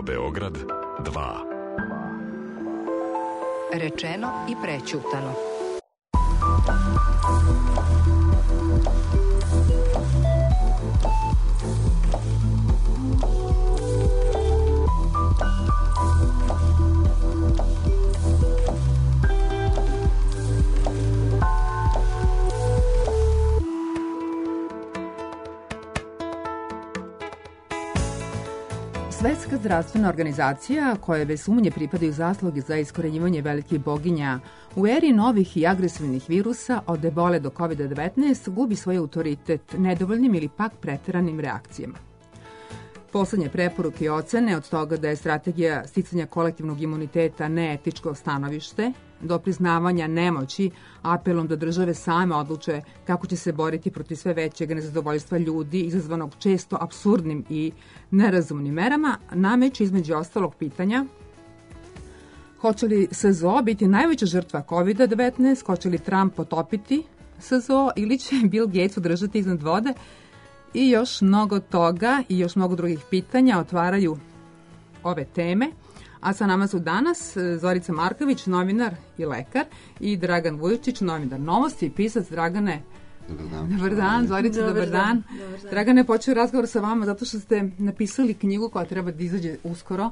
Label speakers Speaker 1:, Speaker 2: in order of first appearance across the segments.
Speaker 1: Radio Beograd 2.
Speaker 2: Rečeno i prećutano.
Speaker 3: Svetska zdravstvena organizacija, koja bez sumnje pripadaju zasluge za iskorenjivanje velikih boginja, u eri novih i agresivnih virusa od ebole do COVID-19 gubi svoj autoritet nedovoljnim ili pak preteranim reakcijama. Poslednje preporuke i ocene od toga da je strategija sticanja kolektivnog imuniteta neetičko stanovište, do priznavanja nemoći, apelom da države same odluče kako će se boriti protiv sve većeg nezadovoljstva ljudi izazvanog često apsurdnim i nerazumnim merama, nameću između ostalog pitanja: hoće li SZO biti najveća žrtva COVID-19, hoće li Trump potopiti SZO ili će Bill Gates udržati iznad vode? I još mnogo toga i još mnogo drugih pitanja otvaraju ove teme. A sa nama su danas Zorica Marković, novinar i lekar, i Dragan Vujočić, novinar Novosti i pisac. Dragane, dobar dan. Zorica, dobar dan. Dragane, počeo razgovor sa vama zato što ste napisali knjigu koja treba da izađe uskoro.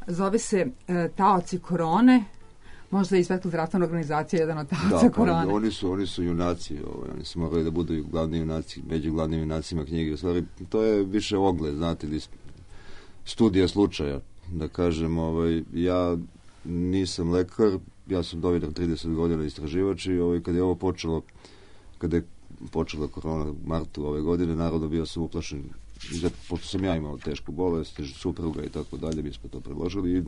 Speaker 3: Zove se Taoci korone. Možda i Svetska zdravstvena organizacija je jedan od taoca korone.
Speaker 4: Da, oni su junaci. Oni su morali da budu glavni junaci, među glavnim junacima knjige. U stvari, to je više ogled, znate, ili studija slučaja. Da kažem, ja nisam lekar, ja sam novinar 30 godina, istraživač, i kada je ovo počelo, kada je počela korona u martu ove godine, naravno bio sam uplašen, pošto sam ja imao tešku bolest, supruga i tako dalje, mi smo to predložili i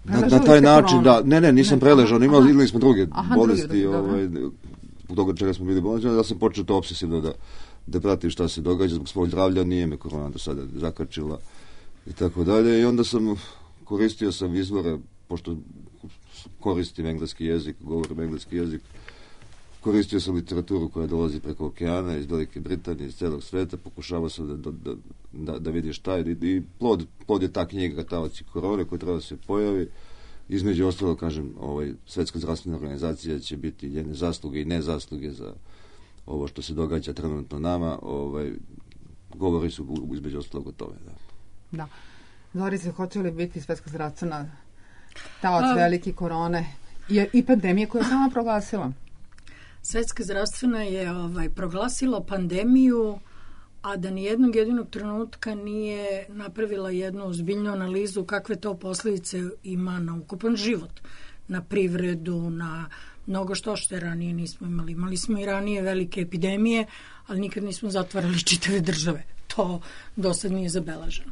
Speaker 4: na taj način, da, nisam preležao, imali smo druge bolesti, u toga čega smo bili bolesti, da sam počeo to obsesivno da pratim šta se događa, zbog svog zdravlja, nije me korona do sada zakačila i tako dalje, i onda koristio sam izvore, pošto koristim engleski jezik, govorim engleski jezik, koristio sam literaturu koja dolazi preko okeana, iz Velike Britanije, iz celog sveta, pokušavao sam da vidim šta je, i plod je ta knjiga Taoci korone koja treba da se pojavi. Između ostalo, kažem, Svetska zdravstvena organizacija će biti njene zasluge i nezasluge za ovo što se događa trenutno nama, govori su između ostalog o tome,
Speaker 3: da. Zorice, hoće li biti Svetska zdravstvena taoc velike korone i pandemije koja je sama proglasila?
Speaker 5: Svetska zdravstvena je proglasila pandemiju, a da nijednog jedinog trenutka nije napravila jednu ozbiljnu analizu kakve to posljedice ima na ukupan život, na privredu, na mnogo što ranije nismo imali. Imali smo i ranije velike epidemije, ali nikad nismo zatvarali čitave države. To do sad nije zabeleženo.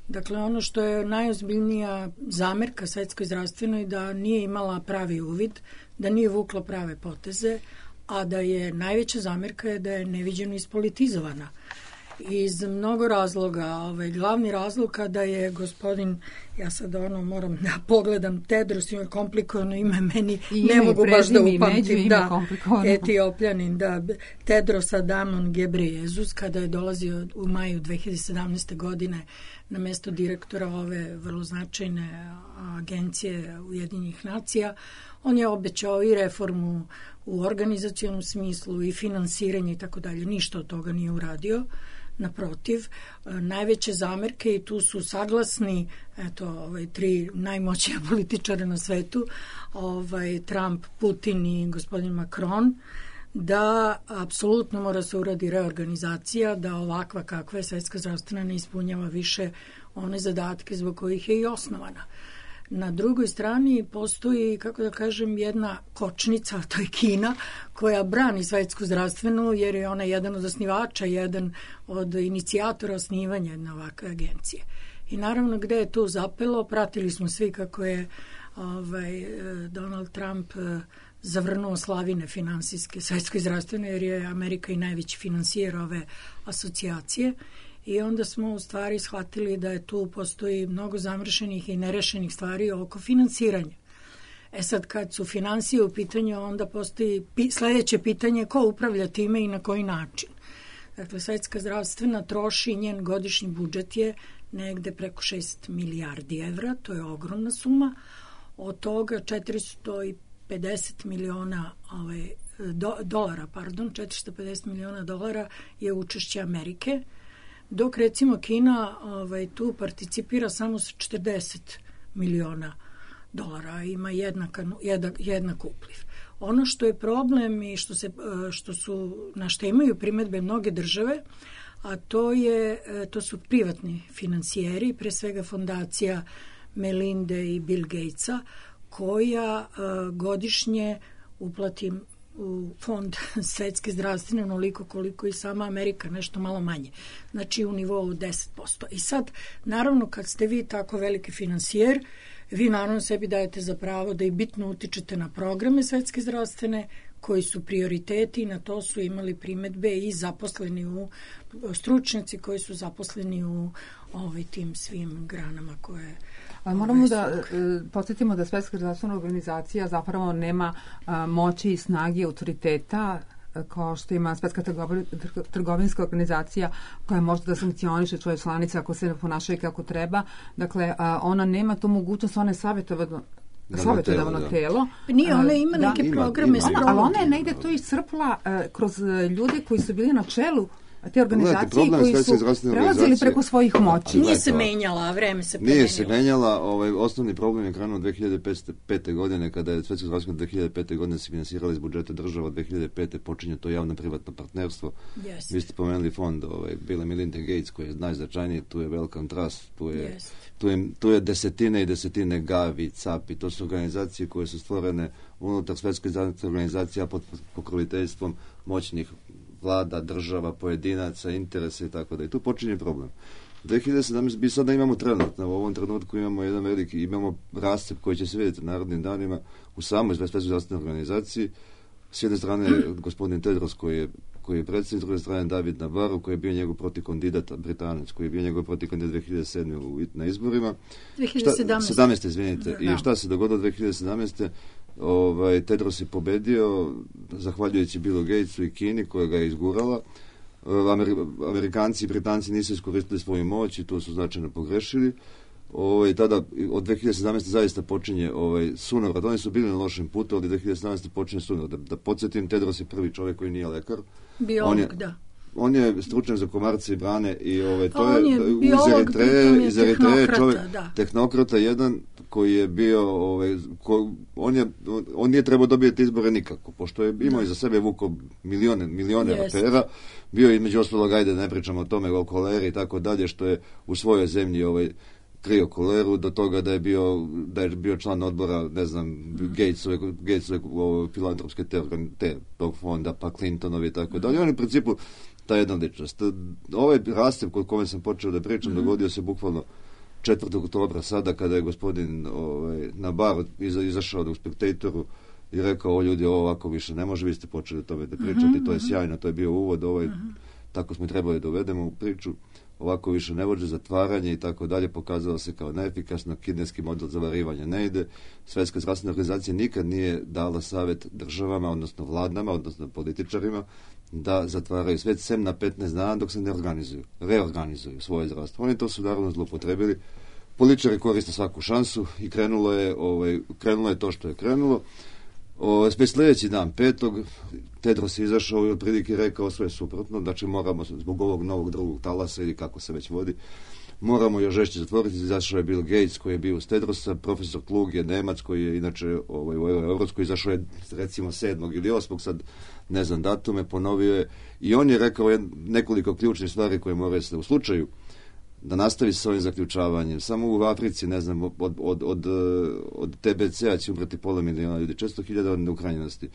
Speaker 5: Dakle, ono što je najozbiljnija zamerka Svetskoj zdravstvenoj da nije imala pravi uvid, da nije vukla prave poteze, a da je najveća zamerka je da je neviđeno ispolitizovana. Iz mnogo razloga, glavni razlog kada je gospodin, ja sad moram da pogledam, Tedros, ima komplikovano ime, meni ne mogu baš da upamtim, Etiopljanin, Tedros Adhanom Ghebreyesus, kada je dolazio u maju 2017. godine na mesto direktora ove vrlo značajne agencije Ujedinjenih nacija, on je obećao i reformu u organizacionom smislu i finansiranje i tako dalje. Ništa od toga nije uradio. Naprotiv, najveće zamerke, i tu su saglasni tri najmoćnija političara na svetu, Trump, Putin i gospodin Macron, da apsolutno mora se uradi reorganizacija, da ovakva kakva je Svetska zdravstvena ne ispunjava više one zadatke zbog kojih je i osnovana. Na drugoj strani postoji, kako da kažem, jedna kočnica, to je Kina, koja brani Svetsku zdravstvenu, jer je ona jedan od osnivača, jedan od inicijatora osnivanja jedne ovakve agencije. I naravno, gde je to zapelo, pratili smo svi kako je Donald Trump zavrnuo slavine finansijske Svetskoj zdravstvene, jer je Amerika i najveći finansijer ove asocijacije. I onda smo u stvari shvatili da je tu postoji mnogo zamršenih i nerešenih stvari oko finansiranja. Sad, kad su finansije u pitanju, onda postoji sledeće pitanje: ko upravlja time i na koji način? Dakle, Svetska zdravstvena troši, njen godišnji budžet je negde preko 6 milijardi evra, to je ogromna suma. Od toga 450 miliona dolara, 450 miliona dolara je učešće Amerike, dok recimo Kina tu participira samo sa 40 miliona dolara, ima jednak upliv. Ono što je problem i na što imaju primedbe mnoge države, a to su privatni financijeri, pre svega fondacija Melinde i Bill Gatesa, koja godišnje uplati u fond svetske zdravstvene onoliko koliko i sama Amerika, nešto malo manje. Znači u nivou 10%. I sad, naravno, kad ste vi tako veliki financijer, vi naravno sebi dajete za pravo da i bitno utičete na programe svetske zdravstvene, koji su prioriteti, na to su imali primedbe i zaposleni stručnjaci koji su zaposleni u tim svim granama koje...
Speaker 3: Ali moramo da podsjetimo da Svetska zdravstvena organizacija zapravo nema moći i snage autoriteta kao što ima Svetska trgovinska organizacija koja može da sankcioniše svoje članice ako se ne ponašaju kako treba. Dakle, ona nema tu mogućnost, ona je savjetodavno telo.
Speaker 5: Nije, ona ima neke programe.
Speaker 3: Ali ona je negde to iscrpla kroz ljude koji su bili na čelu te organizacije koji su prelazili preko svojih moći.
Speaker 5: Nije se menjala, a vreme se promenilo.
Speaker 4: Nije se menjala, osnovni problem je krenuo 2005. godine, kada je Svetska zdravstvena 2005. godine se finansirala iz budžeta država, od 2005. počinje to javno-privatno partnerstvo.
Speaker 5: Yes.
Speaker 4: Vi ste pomenuli fond Bill Melinda Gates, koji je najznačajniji, tu je Wellcome Trust, tu je desetine i desetine Gavi, CAPI, to su organizacije koje su stvorene unutar Svetske zdravstvene organizacije pod pokroviteljstvom moćnih vlada, država, pojedinaca, interesa i tako da. I tu počinje problem. 2017, mi sada imamo trenutno, u ovom trenutku imamo rascep koji će se vidjeti narodnim danima u samoj Svetskoj zdravstvenoj organizaciji. S jedne strane gospodin Tedros koji je predsjednik, s druge strane David Nabarro koji je bio njegov protivkandidat, Britanac, koji je bio njegov protivkandidat 2007. na izborima. 2017. Izvinite. Da. I šta se dogodilo 2017. Tedros je pobedio zahvaljujući Billu Gatesu i Kini koja ga je izgurala. Amerikanci i Britanci nisu iskoristili svoju moć i tu su značajno pogrešili. Tada od 2017. zaista počinje sunovrat. Oni su bili na lošem putu, ali 2017. počinje sunovrat. Da podsjetim, Tedros je prvi čovjek koji nije lekar.
Speaker 5: Biolog, da.
Speaker 4: On je stručnjak za komarce i brane i to
Speaker 5: je
Speaker 4: iz Eritreje čovjek, tehnokrata jedan koji je bio, on nije trebao dobiti izbore nikako, pošto je imao iza sebe vuko milione afera, bio je između ostalog, ajde ne pričamo o tome, o koleri i tako dalje, što je u svojoj zemlji krio koleru, do toga da je bio član odbora, ne znam, Gatesove filantropske tog fonda, pa Clintonovi i tako dalje. On je u principu ta jedna ličnost. Ovaj rascep kod kome sam počeo da pričam dogodio se bukvalno 4. oktobra sada kada je gospodin Nabarro izašao u Spectatoru i rekao, ljudi, ovo ovako više ne može, vi ste počeli o tome da pričati, to je sjajno, to je bio uvod, tako smo trebali da uvedemo u priču, ovako više ne može, zatvaranje i tako dalje, pokazalo se kao neefikasno, kineski model zavarivanja ne ide. Svetska zdravstvena organizacija nikad nije dala savjet državama, odnosno vladama, odnosno političarima, da zatvaraju svet sem na 15 dana dok se ne reorganizuju svoje zdravstvo. Oni to su naravno zloupotrebili. Političari koriste svaku šansu i krenulo je to što je krenulo. Već sljedeći dan, 5. Tedros je izašao i otprilike rekao sve suprotno, znači moramo zbog ovog novog drugog talasa ili kako se već vodi, moramo još žešće zatvoriti. Izašao je Bill Gates koji je bio uz Tedrosa, profesor Klug je Nemac koji je inače u Evropskoj, izašao je recimo 7. ili 8. sad ne znam datume, ponovio je i on je rekao nekoliko ključnih stvari koje moraju se u slučaju da nastavi s ovim zaključavanjem. Samo u Africi, ne znam, od TBC-a će umreti 500 miliona ljudi, 400.000 od neuhranjenosti.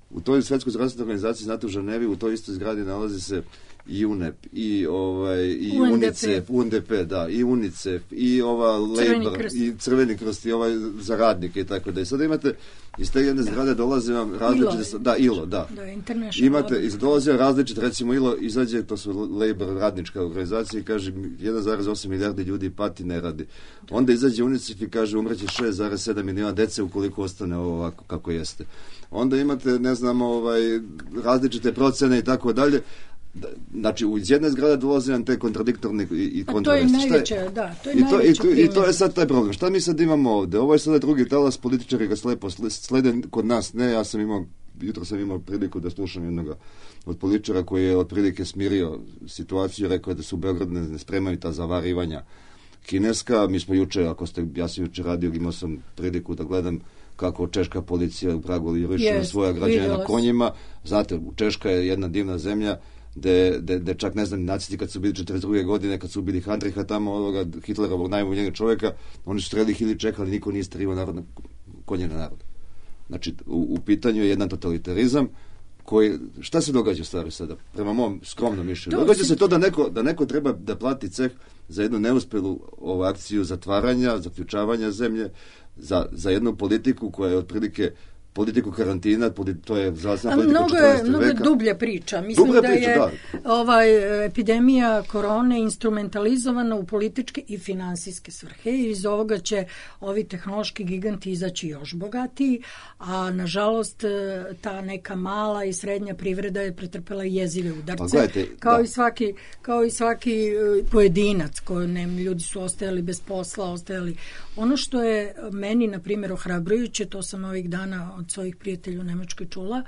Speaker 4: U toj Svetskoj zdravstvenoj organizaciji, znate, u Ženevi, u toj istoj zgradi nalazi se i UNEP, i UNDP, da, i UNICEF, i Labor, i Crveni krst, i za radnike i tako da. I sada imate, iz te jedne zgrade dolaze vam različite... ILO, da. Imate, dolaze različite, recimo ILO izađe, to su Labor, radnička organizacija, i kaže 1,8 milijardi ljudi pati, ne radi. Onda izađe UNICEF i kaže umreće 6,7 miliona dece ukoliko ostane ovo ovako kako jeste. Onda imate, ne znam, različite procene i tako dalje, znači iz jedne zgrade dolaze nam te kontradiktorne i kontroverse.
Speaker 5: To je najveća, to je najveća
Speaker 4: I to je sad taj problem. Šta mi sad imamo ovde? Ovo je sada drugi talas, političari ga slepo slede, kod nas ne, jutro sam imao priliku da slušam jednoga od političara koji je otprilike smirio situaciju, rekao je da su u Beogradu ne spremaju ta zavarivanja kineska. Mi smo juče, ja sam juče radio, imao sam priliku da gledam kako češka policija u Pragu lijeviše svoja građana na konjima. Znate, Češka je jedna divna zemlja gde čak, ne znam, nacisti kad su bili 42. godine, kad su ubili Handriha tamo, ovoga Hitlerovog najboljenjeg čoveka, oni su streli ili čekali, niko nije strivao konje na narod. Znači, u pitanju je jedan totalitarizam koji, šta se događa stvari sada? Prema mom skromnom mišljenju. Događa se to da neko treba da plati ceh za jednu neuspelu akciju zatvaranja, zaključavanja zemlje, za jednu politiku koja je otprilike politiku karantina, to je zdravstvena politika 14. veka. Mnogo
Speaker 5: dublja priča. Mislim da je epidemija korone instrumentalizovana u političke i finansijske svrhe i iz ovoga će ovi tehnološki giganti izaći još bogatiji, a nažalost ta neka mala i srednja privreda je pretrpela jezive udarce, kao i svaki pojedinac, ljudi su ostajali bez posla, ono što je meni, na primjer, ohrabrujuće, to sam ovih dana od svojih prijatelja u Nemačkoj čula,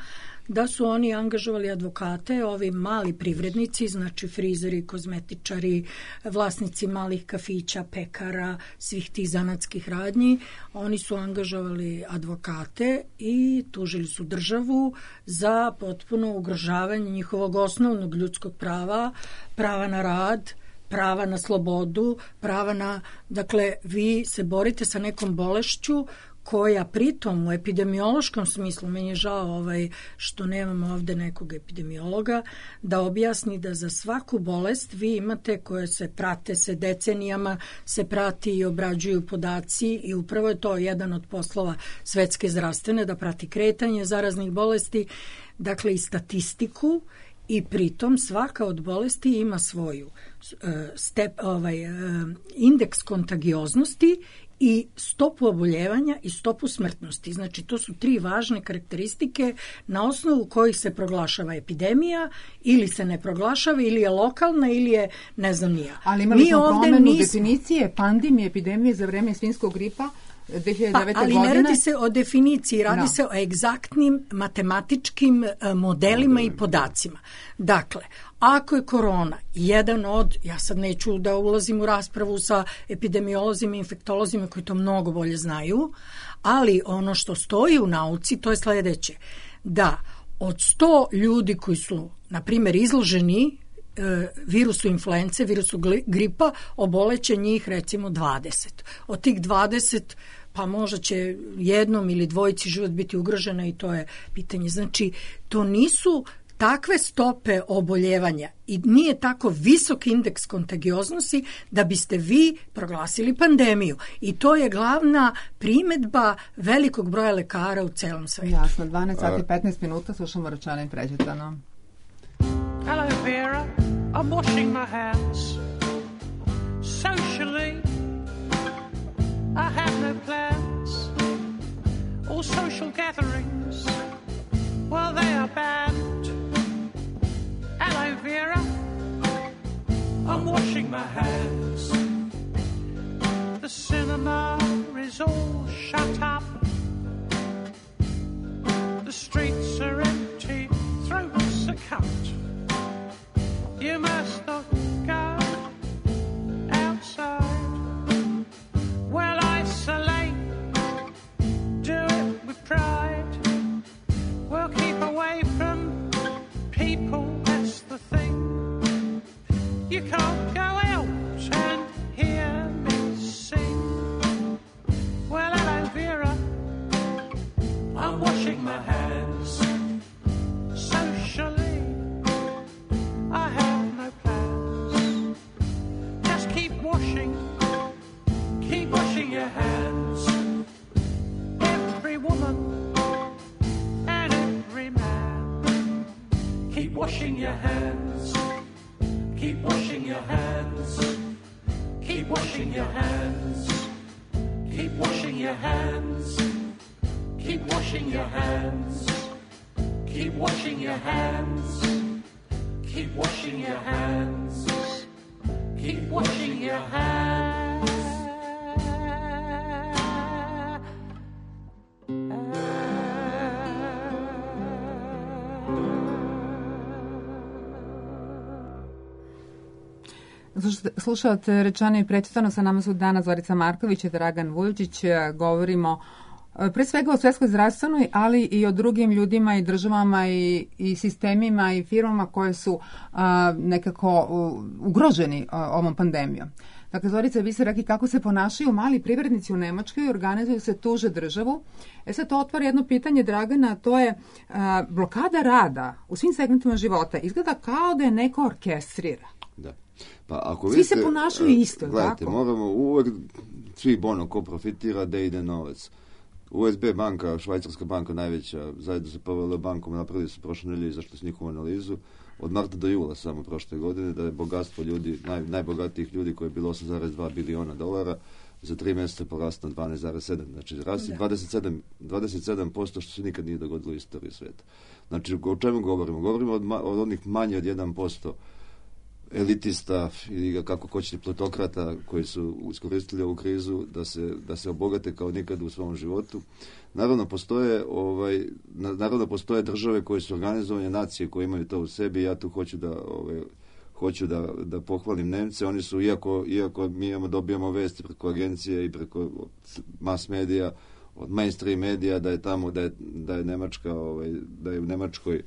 Speaker 5: da su oni angažovali advokate, ovi mali privrednici, znači frizeri, kozmetičari, vlasnici malih kafića, pekara, svih tih zanatskih radnji, oni su angažovali advokate i tužili su državu za potpuno ugrožavanje njihovog osnovnog ljudskog prava na rad, prava na slobodu, dakle, vi se borite sa nekom bolešću koja pritom u epidemiološkom smislu, meni je žao što nemamo ovde nekog epidemiologa, da objasni da za svaku bolest vi imate koje se prate, decenijama se prati i obrađuju podaci i upravo je to jedan od poslova Svetske zdravstvene, da prati kretanje zaraznih bolesti, dakle i statistiku, i pritom svaka od bolesti ima svoju indeks kontagioznosti i stopu oboljevanja i stopu smrtnosti. Znači, to su 3 važne karakteristike na osnovu kojih se proglašava epidemija ili se ne proglašava, ili je lokalna, ili je ne znam nija.
Speaker 3: Ali imali smo promenu definicije pandemije, epidemije za vreme svinjskog gripa 2009. godine.
Speaker 5: Ali ne radi se o definiciji, radi se o egzaktnim matematičkim modelima i podacima. Dakle, ako je korona jedan od, ja sad neću da ulazim u raspravu sa epidemiolozima i infektolozima koji to mnogo bolje znaju, ali ono što stoji u nauci to je sledeće, da od 100 ljudi koji su, na primjer, izloženi virusu influence, virusu gripa, oboleće njih recimo 20. Od tih 20 pa možda će jednom ili dvojici život biti ugrožena i to je pitanje. Znači, to nisu takve stope oboljevanja i nije tako visok indeks kontagioznosti da biste vi proglasili pandemiju. I to je glavna primedba velikog broja lekara u celom svetu.
Speaker 3: Jasno, 12 sati 15 minuta, slušamo Račana i Pređetano.
Speaker 1: Hello Vera, I'm washing my hands. Socially, I have no plans. All social gatherings, well they are banned. Hello Vera, I'm washing my hands. The cinema is all shut up. The streets are empty, throats are cut. You must not go outside. Well, isolate, do it with pride. Well, keep away from people, that's the thing. You can't go out and hear me sing. Well, hello Vera, I'm washing my hands. Socially, I have no plans. Just keep washing your hands. Every woman and every man. Keep washing your hands. Keep washing your hands. Keep washing your hands. Keep washing your hands. Keep washing your hands. Keep washing your hands. Keep washing your hands. Keep washing your hands.
Speaker 3: Slušate Rečeno i prečitano, sa nama su danas Zorica Marković i Dragan Vujočić. Govorimo pre svega o svetskoj zdravstvenoj, ali i o drugim ljudima i državama i sistemima i firmama koje su nekako ugroženi ovom pandemijom. Dakle, Zorica, vi ste rekli kako se ponašaju mali privrednici u Nemačkoj, organizuju se, tuže državu. Sad to otvara jedno pitanje, Dragana, to je blokada rada u svim segmentima života. Izgleda kao da je neko orkestrira.
Speaker 4: Da. Pa ako
Speaker 3: svi
Speaker 4: vidite,
Speaker 3: se ponašaju isto,
Speaker 4: gledajte,
Speaker 3: tako?
Speaker 4: moramo uvek, svi ko profitira, da ide novac. USB banka, švajcarska banka najveća, zajedno sa PVL bankom napravili su prošle nedelje, izašli s njihovu analizu od marta do jula samo prošle godine, da je bogatstvo ljudi, najbogatijih ljudi koje je bilo 8,2 biliona dolara, za 3 mjeseca poraslo na 12,7. Znači, rasti 27%, što se nikad nije dogodilo u istoriji sveta. Znači, o čemu govorimo? Govorimo od onih manje od 1% elitista ili kako hoćete plutokrata koji su iskoristili ovu krizu da se obogate kao nikad u svom životu. Naravno postoje države koje su organizovane, nacije koje imaju to u sebi. Ja tu hoću da pohvalim Nemce. Oni su, iako mi dobijamo vesti preko agencije i preko mass medija, od mainstream medija, da je tamo da je Nemačka, da je u Nemačkoj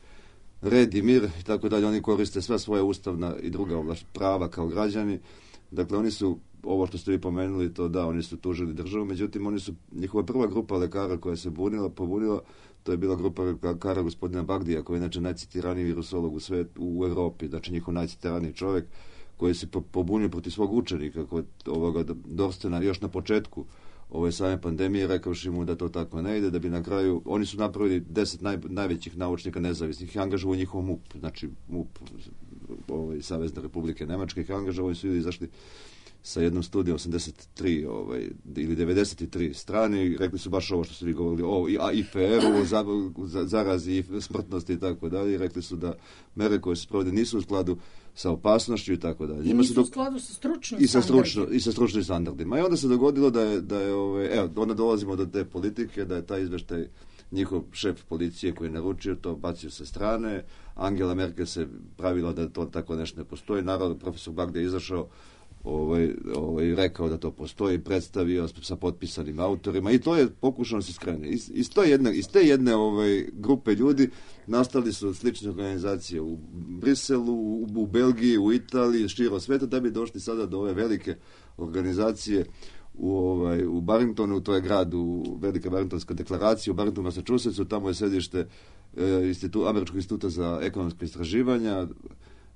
Speaker 4: red i mir i tako dalje, oni koriste sva svoja ustavna i druga prava kao građani. Dakle, oni su, ovo što ste vi pomenuli, to da, oni su tužili državu, međutim, njihova prva grupa lekara koja se pobunila, to je bila grupa lekara gospodina Bagdija, koji je inače najcitiraniji virusolog u Evropi, znači njihov najcitiraniji čovjek, koji se pobunio protiv svog učenika, Dorstena, još na početku ove same pandemije, rekavši mu da to tako ne ide, da bi na kraju, oni su napravili 10 najvećih naučnika nezavisnih i angažovali njihov MUP, znači MUP, Savezne Republike Nemačke, ih angažovali su ljudi izašli sa jednom studijom 83 ili 93 strane i rekli su baš ovo što su vi govorili o IFR-u, zarazi i smrtnosti i tako dalje, i rekli su da mere koje se provode nisu u skladu sa opasnošću i tako dalje.
Speaker 5: I nisu u skladu sa stručnim standardima.
Speaker 4: I sa stručnim standardima. I onda se dogodilo da je onda dolazimo do te politike, da je taj izveštaj njihov šef policije koji je naručio to bacio sa strane. Angela Merkel se pravila da to tako nešto ne postoji. Naravno, profesor Bagde je izašao rekao da to postoji, predstavio sa potpisanim autorima i to je pokušano se skrene. Iz te jedne grupe ljudi nastali su slične organizacije u Briselu, u Belgiji, u Italiji, širom sveta, da bi došli sada do ove velike organizacije u Barringtonu, to je grad u Velika Barringtonska deklaracija, u Barringtonu, Massachusettsu, tamo je sedište Američkog instituta za ekonomske istraživanja,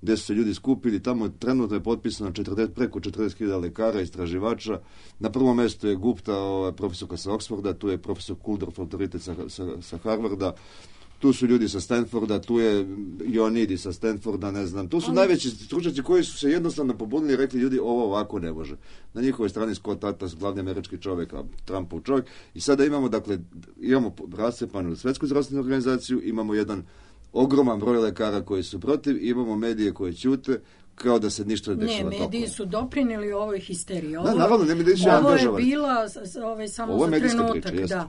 Speaker 4: gdje su se ljudi skupili, tamo trenutno je potpisano preko 40.000 lekara, istraživača. Na prvom mjestu je Gupta, profesorka sa Oxforda, tu je profesor Kuldorf, autoritet sa Harvarda, tu su ljudi sa Stanforda, tu je Ioannidis sa Stanforda, ne znam. Tu su najveći stručnjaci koji su se jednostavno pobunili i rekli ljudi ovo ovako ne može. Na njihovoj strani Scott Atlas, glavni američki čovjek, a Trumpov čovjek. I sada imamo rascepanu Svetsku zdravstvenu organizaciju, imamo jedan ogroman broj lekara koji su protiv, imamo medije koje ćute, kao da se ništa ne dešava.
Speaker 5: Ne, mediji su doprinijeli ovoj histeriji.
Speaker 4: Naravno, ne mediji su
Speaker 5: angažovani. Ovo je bila, samo
Speaker 4: ovo
Speaker 5: za trenutak,
Speaker 4: priča,
Speaker 5: da.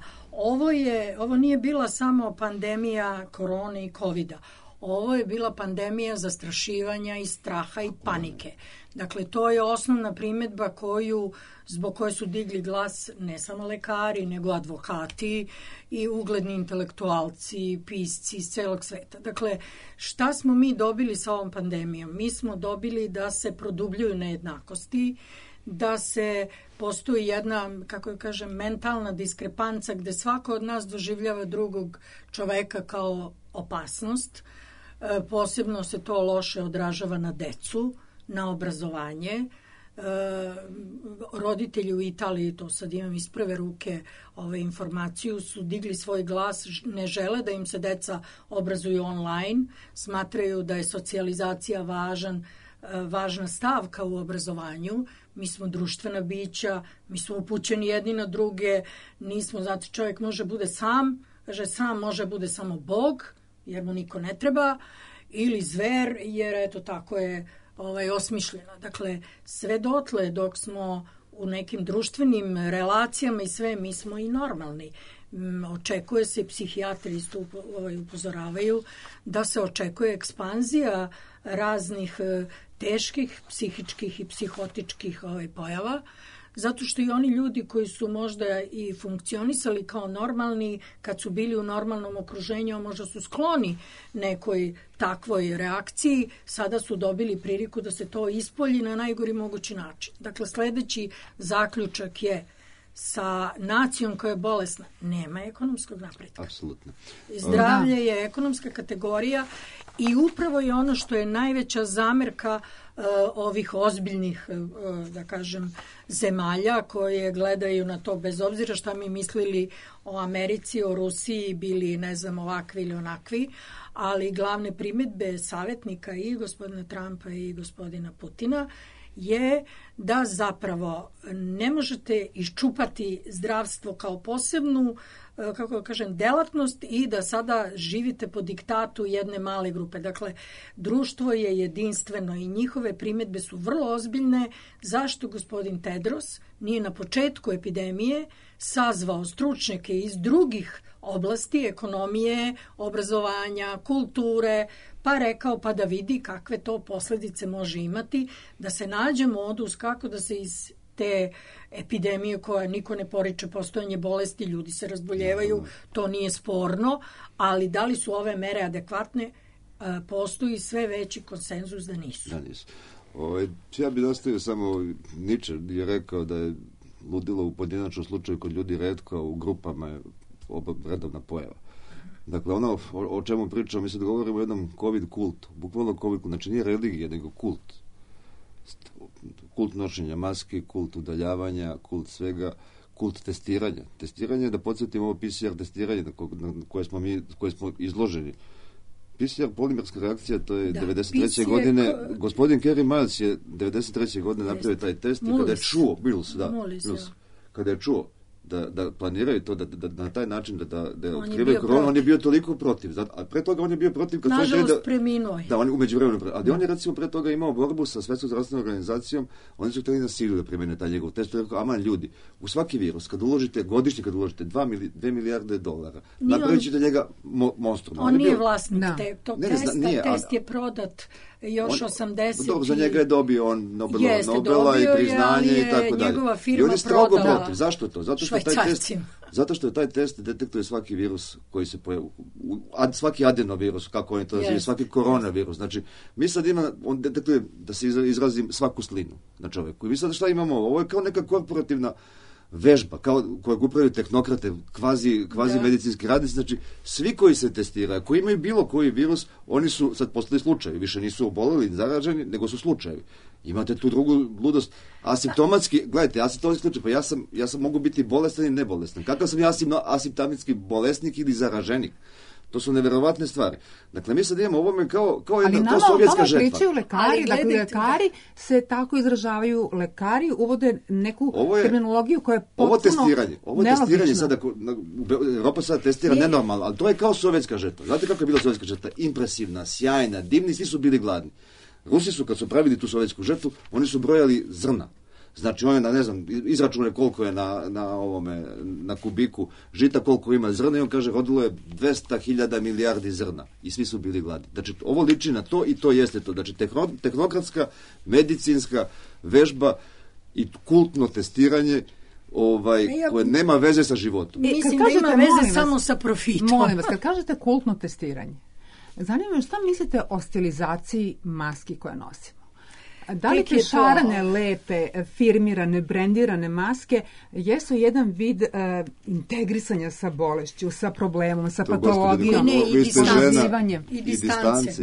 Speaker 5: Ovo nije bila samo pandemija korone i covida. Ovo je bila pandemija zastrašivanja i straha i panike. Dakle, to je osnovna primjedba zbog koje su digli glas ne samo lekari, nego advokati i ugledni intelektualci, pisci iz celog sveta. Dakle, šta smo mi dobili sa ovom pandemijom? Mi smo dobili da se produbljuju nejednakosti, da postoji jedna, kako kažem, mentalna diskrepanca gde svako od nas doživljava drugog čoveka kao opasnost. Posebno se to loše odražava na decu, na obrazovanje. Roditelji u Italiji, to sad imam iz prve ruke informaciju, su digli svoj glas, ne žele da im se deca obrazuju online, smatraju da je socijalizacija važna stavka u obrazovanju. Mi smo društvena bića, mi smo upućeni jedni na druge, nismo, znači čovjek može bude sam, kaže sam može bude samo Bog, jer mu niko ne treba, ili zver, jer eto tako je osmišljena. Dakle, sve dotle dok smo u nekim društvenim relacijama i sve, mi smo i normalni. Očekuje se, psihijatri isto upozoravaju, da se očekuje ekspanzija raznih teških psihičkih i psihotičkih pojava, zato što i oni ljudi koji su možda i funkcionisali kao normalni, kad su bili u normalnom okruženju, možda su skloni nekoj takvoj reakciji, sada su dobili priliku da se to ispolji na najgori mogući način. Dakle, sledeći zaključak je: sa nacijom koja je bolesna nema ekonomskog napretka.
Speaker 4: Apsolutno.
Speaker 5: Zdravlje je ekonomska kategorija i upravo je ono što je najveća zamerka ovih ozbiljnih, da kažem, zemalja koje gledaju na to, bez obzira šta mi mislili o Americi, o Rusiji, bili, ne znam, ovakvi ili onakvi, ali glavne primedbe savjetnika i gospodina Trumpa i gospodina Putina je da zapravo ne možete iščupati zdravstvo kao posebnu, kako da kažem, delatnost i da sada živite po diktatu jedne male grupe. Dakle, društvo je jedinstveno i njihove primedbe su vrlo ozbiljne. Zašto gospodin Tedros nije na početku epidemije sazvao stručnjake iz drugih oblasti, ekonomije, obrazovanja, kulture, pa rekao pa da vidi kakve to posledice može imati, da se nađe modus kako da se iz te epidemije koja niko ne poriče postojanje bolesti, ljudi se razboljevaju, to nije sporno, ali da li su ove mere adekvatne, postoji sve veći konsenzus da nisu.
Speaker 4: Da nisu. Ja bih nastavio samo, Nietzsche je rekao da je ludilo u pojedinačnom slučaju kod ljudi retko, a u grupama je redovna pojava. Dakle, ono o čemu pričamo, mi sad govorimo o jednom COVID kultu, bukvalno COVID kultu, znači nije religija, nego kult. Kult nošenja maske, kult udaljavanja, kult svega, kult testiranja. Testiranje, da podsjetimo ovo PCR testiranje na koje smo izloženi. PCR polimerska reakcija, to je 93. godine, gospodin Kerry Miles je 93. godine napravio taj test i kada je čuo, kada je čuo da planiraju to, da na taj način da otkrivaju koronu, on je bio toliko protiv. A pre toga on je bio protiv kad
Speaker 5: nažalost preminuo.
Speaker 4: Da, on je umeđu vremenu. Ali on je recimo pre toga imao borbu sa Svetskom zdravstvenom organizacijom, oni su htjeli na silu da primene taj njegov test. On je rekao, aman ljudi, u svaki virus, godišnje kad uložite 2 milijarde dolara, napravit ćete njega monstrum.
Speaker 5: On nije vlasnik tog testa, test je prodat još 80.
Speaker 4: Dobro, za njega je dobio on Nobela i priznanje i tako dalje. I on je strogo protiv. Zašto to? Zato što je taj test detektuje svaki virus koji se pojavi, svaki adenovirus, kako oni to nazivaju, svaki koronavirus. Znači, mi sad on detektuje, da se izrazim, svaku slinu na čoveku. I mi sad šta imamo? Ovo je kao neka korporativna vežba, kojeg upravljaju tehnokrate, kvazi medicinski radnici, znači svi koji se testiraju, koji imaju bilo koji virus, oni su sad postali slučajevi, više nisu oboleli, zaraženi, nego su slučajevi. Imate tu drugu ludost, asimptomatski, gledajte, asimptomatski slučaj, pa ja sam mogu biti bolestan i nebolestan. Kakav sam ja asimptomatski bolesnik ili zaraženik? To su neverovatne stvari. Dakle, mi sad imamo ovome kao jedna to sovjetska žetva. Ali
Speaker 3: pričaju lekari, dakle lekari se tako izražavaju, lekari uvode neku terminologiju koja je potpuno nelogična. Ovo testiranje sada, Europa sada testira nenormalno, ali to je kao sovjetska žetva. Znate kako je bila sovjetska žetva? Impresivna, sjajna, divni, svi su bili gladni. Rusi su, kad su pravili tu sovjetsku žetvu, oni su brojali zrna. Znači, on je, ne znam, izračune koliko je na kubiku žita, koliko ima zrna i on kaže, rodilo je 200.000 milijardi zrna i svi su bili gladni. Znači, ovo liči na to i to jeste to. Znači, tehnokratska, medicinska vežba i kultno testiranje koje nema veze sa životom.
Speaker 5: Mislim da ima veze samo sa profitom.
Speaker 3: Molim vas, kad kažete kultno testiranje, zanima me šta mislite o stilizaciji maski koje nosimo? Da li te šarane, lepe, firmirane, brendirane maske jesu jedan vid integrisanja sa bolešću, sa problemom, sa patologijom,
Speaker 5: i distance.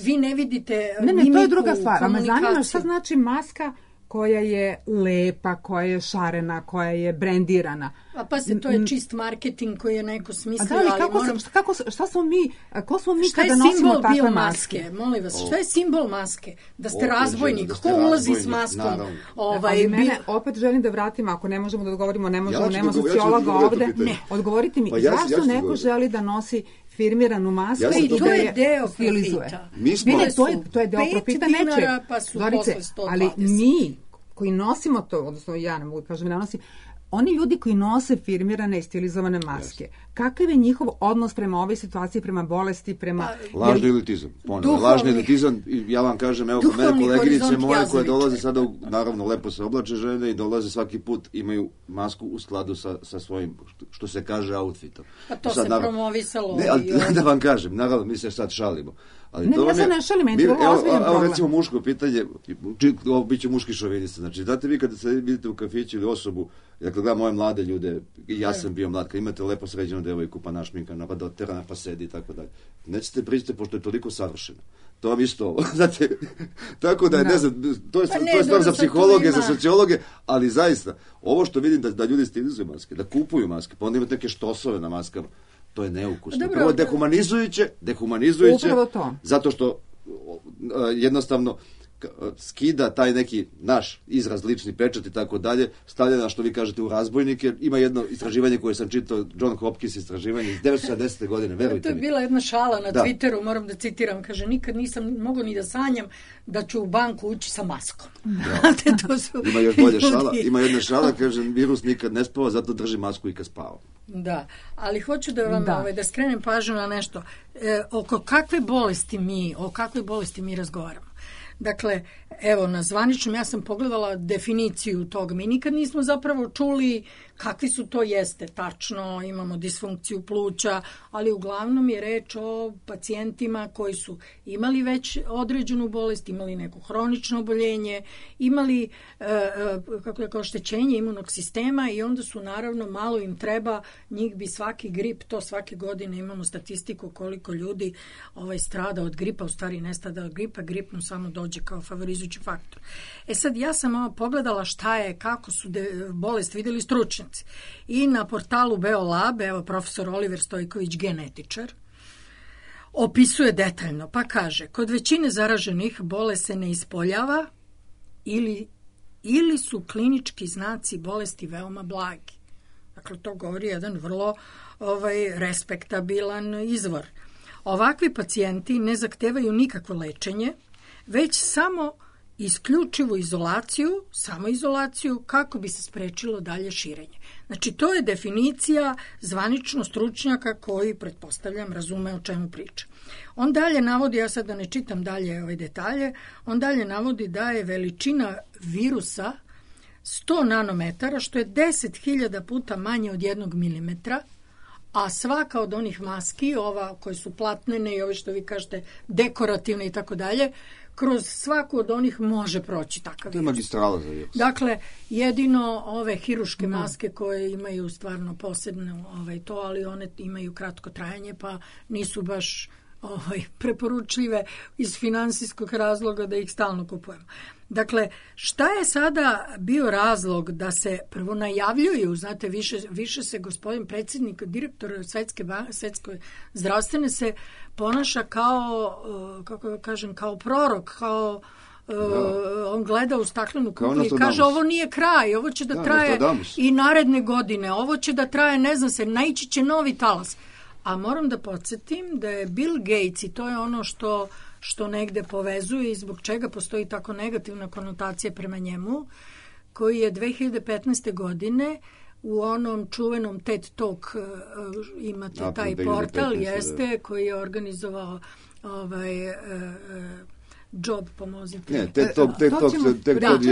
Speaker 5: Vi ne vidite
Speaker 3: mimiku, to je druga stvar. A me zanima šta znači maska koja je lepa, koja je šarena, koja je brendirana.
Speaker 5: A pa to je čist marketing koji je neko smislio.
Speaker 3: Šta smo mi, ko smo mi kada nosimo takve maske?
Speaker 5: Molim vas, šta je simbol maske? Da ste razbojnik, ko ulazi s maskom?
Speaker 3: Ali mene, opet želim da vratim, ako ne možemo da odgovorimo, nema sociologa ovde, odgovorite mi, zašto neko želi da nosi firmiranu masku
Speaker 4: Ja sam
Speaker 3: i
Speaker 4: to-
Speaker 3: da
Speaker 5: To je
Speaker 3: je
Speaker 5: deo
Speaker 3: stilizuje.
Speaker 5: profita.
Speaker 4: Mi smo-
Speaker 3: Ne, to je deo
Speaker 5: 5
Speaker 3: profita
Speaker 5: dinara,
Speaker 3: nečeg.
Speaker 5: pa su
Speaker 3: Zorice,
Speaker 5: posle 120.
Speaker 3: ali mi koji nosimo to, odnosno ja ne mogu kažem ne nosim, oni ljudi koji nose firmirane i stilizovane maske, kakav je njihov odnos prema ovoj situaciji, prema bolesti, prema...
Speaker 4: Lažni elitizam, ponovno,
Speaker 5: Duhovni-
Speaker 4: lažni elitizam, i ja vam kažem, evo, kod mene
Speaker 5: duhovni
Speaker 4: koleginice
Speaker 5: horizont
Speaker 4: moje koje
Speaker 5: Jazovića.
Speaker 4: dolaze sada, naravno, lepo se oblače žene i dolaze svaki put, imaju masku u skladu sa svojim, što se kaže, outfitom.
Speaker 5: Pa to
Speaker 4: Sad,
Speaker 5: se
Speaker 4: naravno-
Speaker 5: promovisalo.
Speaker 4: Ne, ali
Speaker 5: i ovo.
Speaker 4: da vam kažem, naravno, mi se sad šalimo. Ali
Speaker 3: Ne,
Speaker 4: to
Speaker 3: ja
Speaker 4: vam
Speaker 3: se
Speaker 4: je-
Speaker 3: ne šalim, meni je to
Speaker 4: evo,
Speaker 3: ozbiljan
Speaker 4: evo,
Speaker 3: problem.
Speaker 4: recimo muško pitanje, ovo bit će muški šovinista, znači, znate vi kada se vidite u kafiću ili osobu, dakle, gledam ove mlade ljude, i ja sam bio mlad, kad imate lepo sređenu devojku, pa našminkana, pa do terana, pa sedi i tako dalje. Nećete prići pošto je toliko savršeno. To vam isto ovo, znate, tako da je, ne znam, to je
Speaker 5: Pa ne,
Speaker 4: stvar
Speaker 5: dobro,
Speaker 4: za
Speaker 5: sad
Speaker 4: psihologe,
Speaker 5: to ima.
Speaker 4: za sociologe, ali zaista, ovo što vidim da ljudi stilizuju maske, da kupuju maske, pa onda imate neke štosove na maskama, to je neukusno.
Speaker 5: Dobro,
Speaker 4: Prvo,
Speaker 5: da.
Speaker 4: dehumanizujuće,
Speaker 3: Upravo to.
Speaker 4: zato što jednostavno skida taj neki naš izraz, lični pečat i tako dalje, stavlja na, što vi kažete, u razbojnike. Ima jedno istraživanje koje sam čitao, John Hopkins istraživanje iz 1970. godine,
Speaker 5: To
Speaker 4: verujte
Speaker 5: je
Speaker 4: mi.
Speaker 5: bila jedna šala na
Speaker 4: Da.
Speaker 5: Twitteru, moram da citiram, kaže, nikad nisam mogao ni da sanjam da ću u banku ući sa maskom. Znate, to su
Speaker 4: Ima još bolje
Speaker 5: ljudi.
Speaker 4: šala, ima jedna šala, kaže, virus nikad ne spava, zato drži masku i kad spava.
Speaker 5: Da, ali hoću da vam
Speaker 3: Da.
Speaker 5: da skrenem pažnju na nešto. O kakvoj bolesti mi razgovaramo. Dakle, evo, na zvaničnom ja sam pogledala definiciju tog. Mi nikad nismo zapravo čuli kakvi su to jeste. Tačno, imamo disfunkciju pluća, ali uglavnom je reč o pacijentima koji su imali već određenu bolest, imali neko hronično oboljenje, imali oštećenje imunog sistema i onda su naravno, malo im treba, njih bi svaki grip, to svake godine imamo statistiku koliko ljudi strada od gripa, u stvari ne strada od gripa, grip mu samo dođe kao favorizujući faktor. Sad, ja sam pogledala šta je, kako su bolest vidjeli stručnjaci. I na portalu Beolab, evo profesor Oliver Stojković, genetičar, opisuje detaljno, pa kaže, kod većine zaraženih bolest se ne ispoljava ili su klinički znaci bolesti veoma blagi. Dakle, to govori jedan vrlo respektabilan izvor. Ovakvi pacijenti ne zahtevaju nikakvo lečenje, već samo isključivu izolaciju, samoizolaciju, kako bi se sprečilo dalje širenje. Znači, to je definicija zvanično stručnjaka koji, pretpostavljam, razume o čemu priča. On dalje navodi, ja sad da ne čitam dalje ove detalje, on dalje navodi da je veličina virusa 100 nanometara, što je 10.000 puta manje od 1 milimetra, a svaka od onih maski, ova koje su platnene i ove što vi kažete dekorativne i tako dalje, kroz svaku od onih može proći takav
Speaker 4: To je
Speaker 5: virus.
Speaker 4: magistrala za virus.
Speaker 5: Dakle, jedino ove hiruške maske koje imaju stvarno posebno to, ali one imaju kratko trajanje, pa nisu baš preporučljive iz finansijskog razloga da ih stalno kupujemo. Dakle, šta je sada bio razlog da se prvo najavljuju, znate, više se gospodin predsjednik, direktor Svetske zdravstvene se ponaša kao, kako da kažem, kao prorok, kao on gleda u staklenu kuglu i kaže ovo nije kraj, ovo će da traje i naredne godine, ovo će da traje, ne znam se, naići će novi talas. A moram da podsjetim da je Bill Gates, i to je ono što negde povezuje i zbog čega postoji tako negativna konotacija prema njemu, koji je 2015. godine u onom čuvenom TED Talk, imate taj portal, koji je organizovao Job, pomozite.
Speaker 4: Ne, TED Talk je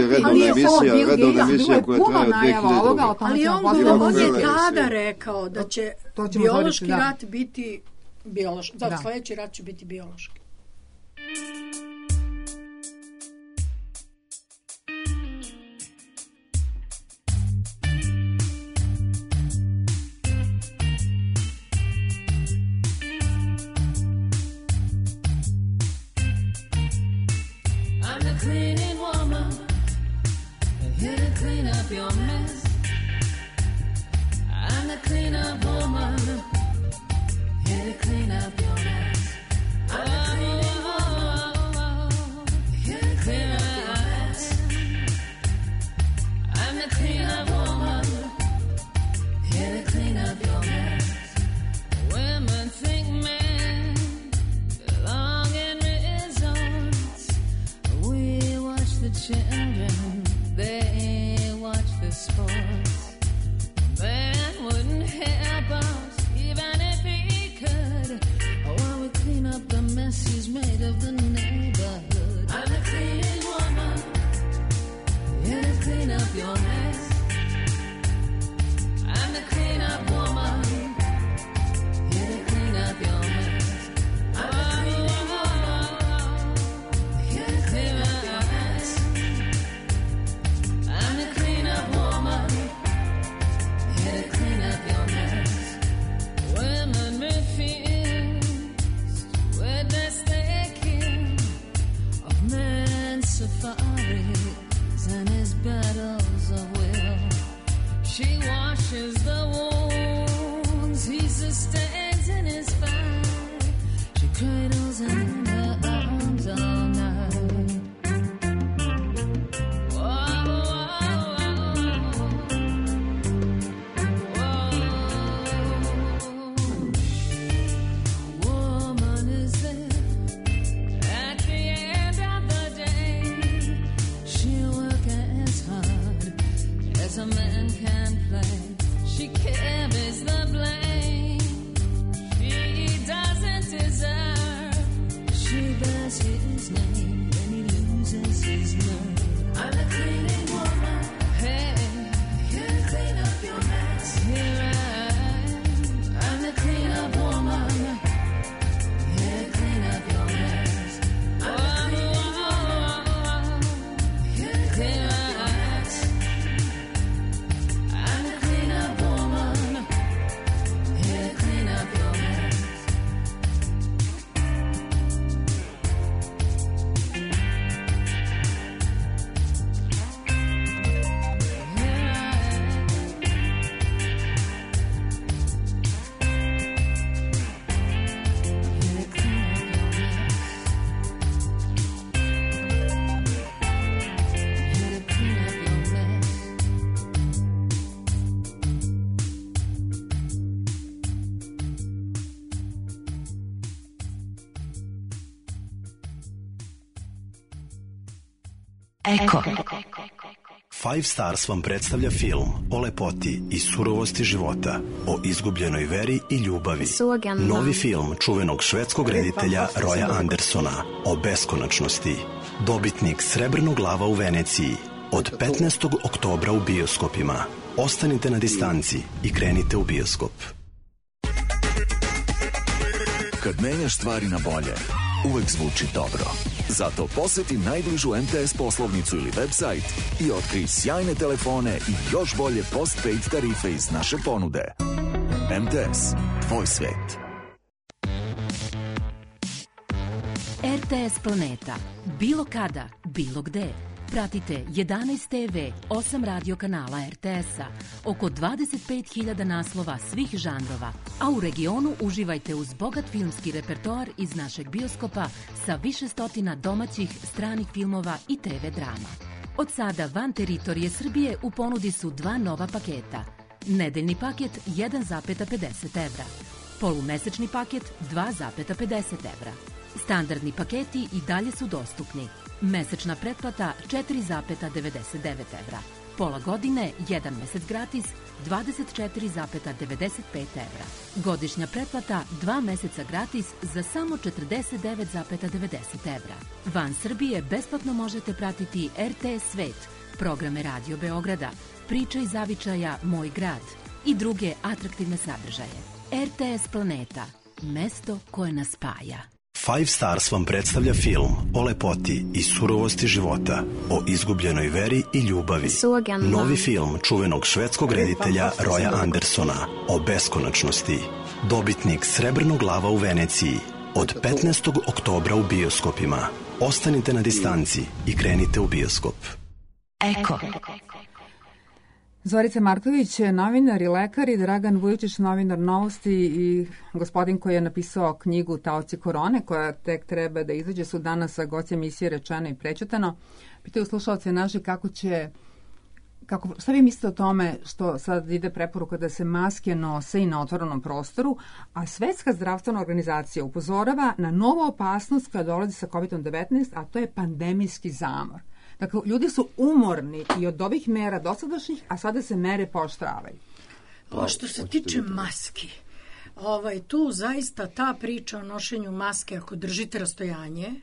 Speaker 4: redovna emisija koja traje od 2000.
Speaker 5: Ali on je tada rekao da će biološki rat biti biološki. Da, sljedeći rat će biti biološki.
Speaker 6: Cleaning woman, here to clean up your mess. I'm the cleanup woman, here to clean up your mess. I'm the cleaning woman, here to clean up your mess. I'm the cleanup woman, here to clean up your mess. Women think men
Speaker 2: Eko.
Speaker 7: Five Stars vam predstavlja film o lepoti i surovosti života, o izgubljenoj veri i ljubavi. Novi film čuvenog švedskog reditelja Roya Andersona o beskonačnosti. Dobitnik Srebrnog lava u Veneciji. Od 15. oktobra u bioskopima. Ostanite na distanci i krenite u bioskop.
Speaker 8: Kad menjaš stvari na bolje, uvek zvuči dobro. Zato poseti najbližu MTS poslovnicu ili website i otkrij sjajne telefone i još bolje postpaid tarife iz naše ponude. MTS, tvoj svet.
Speaker 9: RTS Planeta. Bilo kada, bilo gde. Pratite 11 TV, 8 radio kanala RTS-a, oko 25.000 naslova svih žanrova, a u regionu uživajte uz bogat filmski repertoar iz našeg bioskopa sa više stotina domaćih, stranih filmova i TV drama. Od sada van teritorije Srbije u ponudi su 2 nova paketa. Nedeljni paket 1,50 evra, polumesečni paket 2,50 evra. Standardni paketi i dalje su dostupni. Mesečna pretplata 4,99 evra. Pola godine, 1 mesec gratis, 24,95 evra. Godišnja pretplata 2 meseca gratis za samo 49,90 evra. Van Srbije besplatno možete pratiti RTS Svet, programe Radio Beograda, Priče iz zavičaja Moj grad i druge atraktivne sadržaje. RTS Planeta, mesto koje nas spaja.
Speaker 7: Five Stars vam predstavlja film o lepoti i surovosti života, o izgubljenoj veri i ljubavi. Novi film čuvenog švedskog reditelja Roya Andersona o beskonačnosti. Dobitnik Srebrnog lava u Veneciji. Od 15. oktobra u bioskopima. Ostanite na distanci i krenite u bioskop.
Speaker 2: Eko.
Speaker 3: Zorica Marković, novinar i lekar, i Dragan Vujičić, novinar Novosti i gospodin koji je napisao knjigu Taoci korone, koja tek treba da izađe, su danas sa gosti emisije Rečeno i prećutano. Pitaju slušalce naši šta vi mislite o tome što sad ide preporuka da se maske nose i na otvorenom prostoru, a Svetska zdravstvena organizacija upozorava na novu opasnost koja dolazi sa COVID-19, a to je pandemijski zamor. Dakle, ljudi su umorni i od ovih mera dosadašnjih, a sada se mere pooštravaju.
Speaker 5: Što se tiče maski, tu zaista ta priča o nošenju maske, ako držite rastojanje,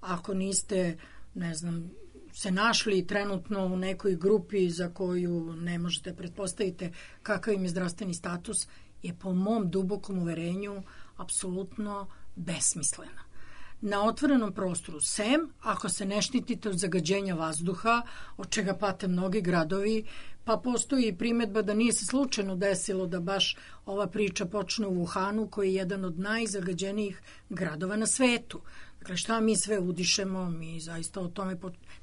Speaker 5: ako niste, ne znam, se našli trenutno u nekoj grupi za koju ne možete pretpostaviti kakav im je zdravstveni status, je po mom dubokom uverenju apsolutno besmislena. Na otvorenom prostoru, sem ako se ne štitite od zagađenja vazduha, od čega pate mnogi gradovi, pa postoji primedba da nije se slučajno desilo da baš ova priča počne u Wuhanu, koji je jedan od najzagađenijih gradova na svetu. Dakle, šta mi sve udišemo, mi zaista o tome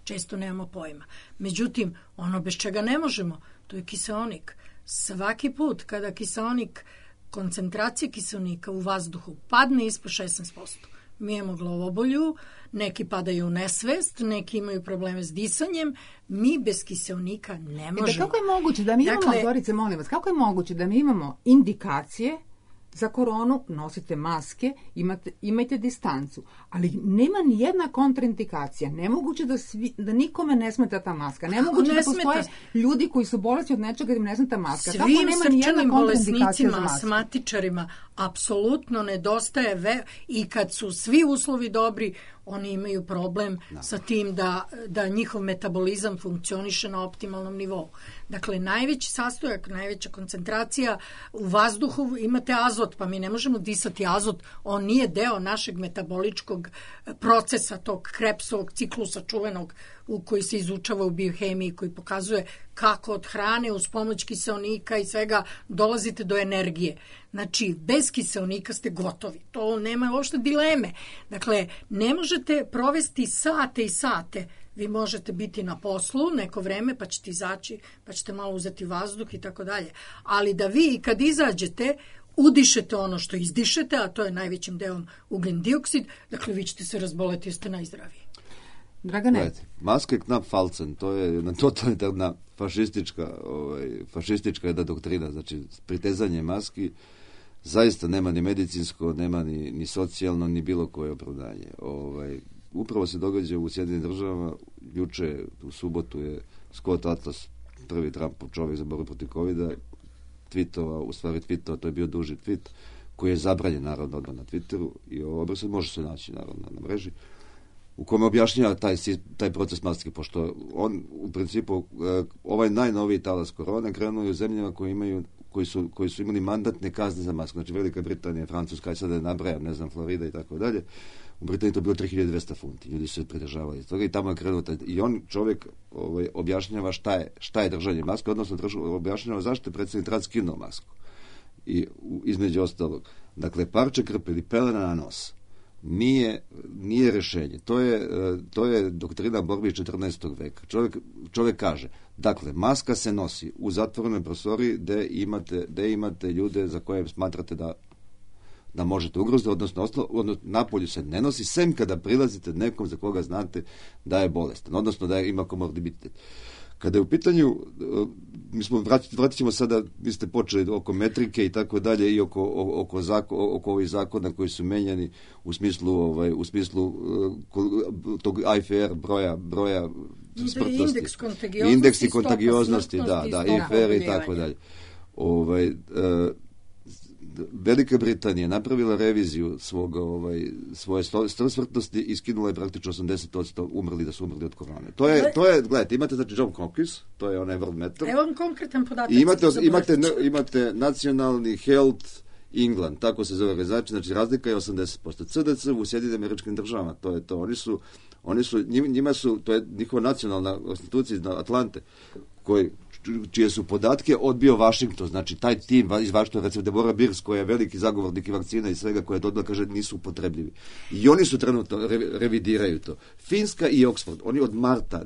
Speaker 5: često nemamo pojma. Međutim, ono bez čega ne možemo, to je kiseonik. Svaki put kada kiseonik, koncentracija kiseonika u vazduhu padne ispod 16%, mi imamo glavobolju, neki padaju u nesvest, neki imaju probleme s disanjem, mi bez kiseonika ne možemo.
Speaker 3: Kako je moguće da mi imamo, Zorice, molim vas, kako je moguće da mi imamo indikacije za koronu, nosite maske, imajte distancu, ali nema ni jedna kontraindikacija. Nemoguće da nikome ne smeta ta maska. Nemoguće da postoje ljudi koji su bolesni od nečega da im ne smeta maska.
Speaker 5: Svim srčanim bolesnicima, asmatičarima apsolutno nedostaje i kad su svi uslovi dobri, oni imaju problem sa tim da njihov metabolizam funkcioniše na optimalnom nivou. Dakle, najveći sastojak, najveća koncentracija u vazduhu, imate azot, pa mi ne možemo disati azot, on nije deo našeg metaboličkog procesa, tog Krebsovog ciklusa čuvenog u koji se izučava u biohemiji, koji pokazuje kako od hrane uz pomoć kiseonika i svega dolazite do energije. Znači, bez kiseonika ste gotovi. To nema uopšte dileme. Dakle, ne možete provesti sate i sate. Vi možete biti na poslu neko vreme, pa ćete izaći, pa ćete malo uzeti vazduh i tako dalje. Ali da vi kad izađete, udišete ono što izdišete, a to je najvećim delom ugljen dioksid, dakle vi ćete se razboleti, jeste najzdraviji.
Speaker 3: Dragane?
Speaker 4: Maske knap falcen, to je jedna totalitarna fašistička jedna doktrina, znači pritezanje maski zaista nema ni medicinsko, nema ni socijalno, ni bilo koje opravdanje. Upravo se događa u Sjedinim državama juče u subotu je Scott Atlas, prvi Trumpov čovjek za borbu protiv covida, tweetova, to je bio duži tweet, koji je zabranjen naravno odmah na Twitteru i ovo se može se naći naravno na mreži, u kome objašnjava taj proces maske, pošto on u principu ovaj najnoviji talas korone krenuo u zemljama koji su imali mandatne kazne za masku, znači Velika Britanija, Francuska, i sada nabrajam, ne znam, Florida i tako dalje. U Britaniji to bilo 3200 funti, ljudi su se pridržavali iz toga i tamo je krenuo i on čovjek objašnjava šta je držanje maske, odnosno objašnjava zašto je predsjednik Trump skinuo masku. I između ostalog, dakle, parče krpe ili pelena na nos nije rješenje. To je doktrina borbe iz 14. veka. Čovjek kaže, dakle, maska se nosi u zatvorenoj prostoriji gdje imate ljude za koje smatrate da možete ugroziti, odnosno napolju se ne nosi, sem kada prilazite nekom za koga znate da je bolestan, odnosno da ima komorbiditet. Kada je u pitanju, vratit ćemo sada, vi ste počeli oko metrike i tako dalje i oko ovih zakona koji su menjani u smislu tog IFR broja smrtnosti. Indeks kontagioznosti, da, IFR i tako dalje. Velika Britanija napravila reviziju svoje smrtnosti i skinula je praktično 80% da su umrli od korone. To je, gledajte, imate znači John Hopkins, to je onaj World Meter.
Speaker 5: Evo vam konkretan podatak.
Speaker 4: I imate nacionalni Health England, tako se zove organizacija, znači razlika je 80%. CDC u Sjedinjenim Američkim Državama, to je to. Njima su, to je njihova nacionalna institucija iz Atlante, čije su podatke odbio Washington, znači taj tim iz Washingtona, recimo Deborah Birx, koja je veliki zagovornik i vakcina i svega, koja je odmah kaže nisu upotrebljivi. I oni su trenutno revidiraju to. Finska i Oxford, oni od marta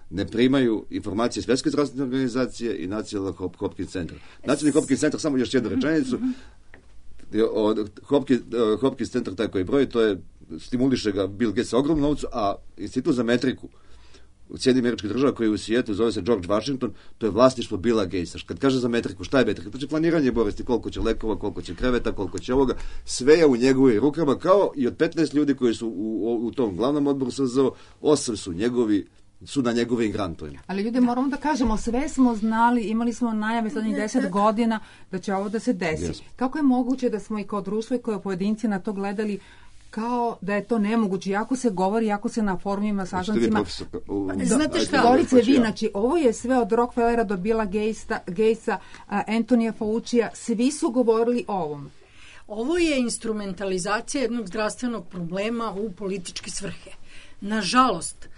Speaker 4: ne primaju informacije Svjetske zdravstvene organizacije i Nacionalnog Hopkins centra. Nacionalni Hopkins centar, samo još jednu rečenicu, Hopkins centar taj koji broji, to je stimuliše ga Bill Gates sa ogromnom novcu, a Institut za metriku u Sjedinjenim Američkih Država koji je u svijetu zove se George Washington, to je vlasništvo Billa Gatesa. Kad kaže za metriku, šta je metrika? Znači planiranje bolesti, koliko će lekova, koliko će kreveta, koliko će ovoga, sve je u njegovim rukama, kao i od 15 ljudi koji su u tom glavnom odboru SZO, 8 su na njegovim grantovima.
Speaker 3: Ali ljudi, moramo da kažemo, sve smo znali, imali smo najave zadnjih 10 godina da će ovo da se desi. Yes. Kako je moguće da smo i kao društvo i kao pojedinci na to gledali kao da je to nemoguće, jako se govori, jako se na forumima, sastancima.
Speaker 5: Znate šta?
Speaker 3: Govorite vi, znači, ovo je sve od Rockefellera do Billa Gatesa, Antonija Faucija, svi su govorili o ovom.
Speaker 5: Ovo je instrumentalizacija jednog zdravstvenog problema u političke svrhe. Nažalost,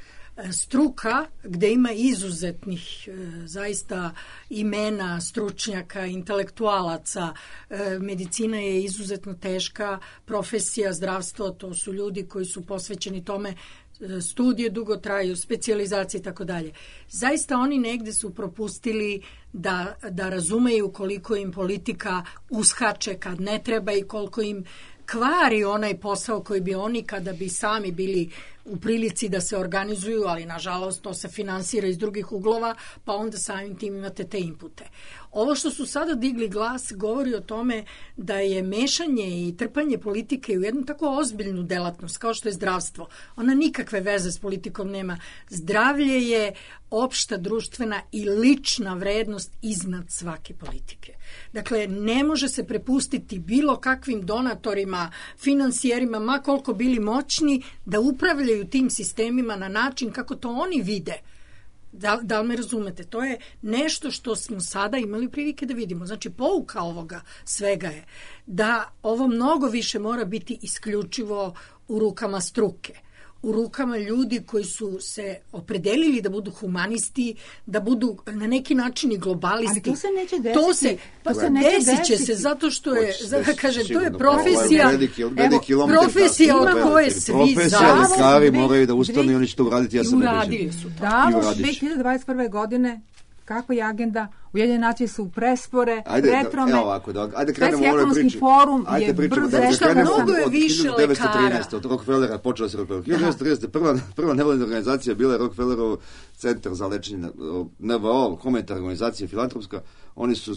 Speaker 5: struka gde ima izuzetnih zaista imena, stručnjaka, intelektualaca, medicina je izuzetno teška profesija, zdravstvo, to su ljudi koji su posvećeni tome, studije dugo traju, specijalizacije i tako dalje. Zaista oni negde su propustili da razumeju koliko im politika uskače kad ne treba i koliko im kvari onaj posao koji bi oni kada bi sami bili u prilici da se organizuju, ali nažalost to se finansira iz drugih uglova, pa onda samim tim imate te inpute. Ovo što su sada digli glas govori o tome da je mešanje i trpanje politike u jednu tako ozbiljnu delatnost kao što je zdravstvo. Ona nikakve veze s politikom nema. Zdravlje je opšta društvena i lična vrednost iznad svake politike. Dakle, ne može se prepustiti bilo kakvim donatorima, finansijerima, ma koliko bili moćni, da upravljaju tim sistemima na način kako to oni vide. Da li me razumete? To je nešto što smo sada imali prilike da vidimo. Znači, pouka ovoga svega je da ovo mnogo više mora biti isključivo u rukama struke, u rukama ljudi koji su se opredelili da budu humanisti, da budu na neki način i globalisti.
Speaker 3: Ali to se neće desiti.
Speaker 5: Desit će se zato što je, to je profesija, profesija od koje svi
Speaker 4: profesija, lekari moraju da ustanu i oni će to uraditi, ja sam
Speaker 5: uradili su to.
Speaker 3: Da, 2021. godine kako je agenda, Ujedinjene nacije su prespore, retrome, Svetski ekonomski forum je brzo rešao.
Speaker 5: Mnogo je više lekara.
Speaker 4: Od Rockefellera počela se Rockefeller. 1930. Prva nevladina organizacija bila je Rockefellerov centar za lečenje, NVO, humanitarna organizacija, filantropska. Oni su